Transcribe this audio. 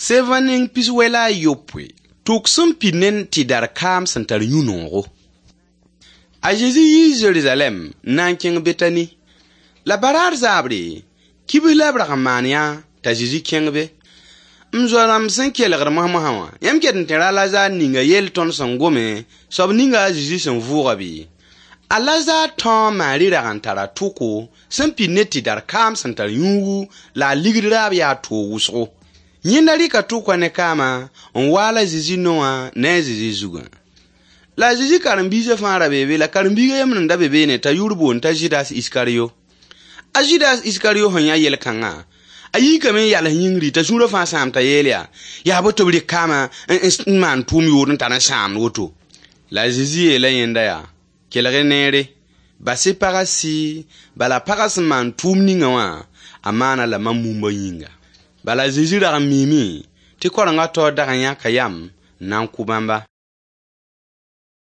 Sevã neng pis-wɛ la a yopoe, tʋk sẽn pid ne tɩdar kaam sẽn tar yũ-noogo. A Zezi yii Zerizalɛɛm n na n kẽng Betani. La baraar zaabre, kibs la b rag n maan yã t'a Zezi kẽng be. M zoa-rãmb sẽn kelgd mosã wã, yãmb ket n tẽra a Lazar ninga yell tõnd sẽn gome, soab ninga a Zezi sẽn vʋʋga bɩ? A Lazar tão a Maari rag n tara tʋko sẽn pid ne tɩdar kaam sẽn tar yũugu la a ligd raab yaa toog wʋsgo. Yẽnda rɩka tʋkã ne kaamã n waal a Zezi no wã ne a Zezi zugã. La a Zezi karen-biisã fãa ra bee be, la karen-biig a yembr n da be beene t'a yʋʋr boond t'a Zɩdas Iskariyo. A Zɩdas Iskariyo sẽn yã yel-kãngã, a yiikame n yals yĩngri t'a sũurã fãa sãam t'a yeel yaa: Yaa bo tɩ b rɩk kaamã n maan tʋʋm yood n tar n sãamd woto. La a Zezi yeela yẽnda yaa: Kelg-y neere, bas-y pagã sɩ, bala pagã sẽn maan tʋʋm ninga wã, a maana la mam mumba yĩnga. Bala a Zezi rag n miime tɩ kaorengã taoor dag n yãka yam n na n kʋ bãmba.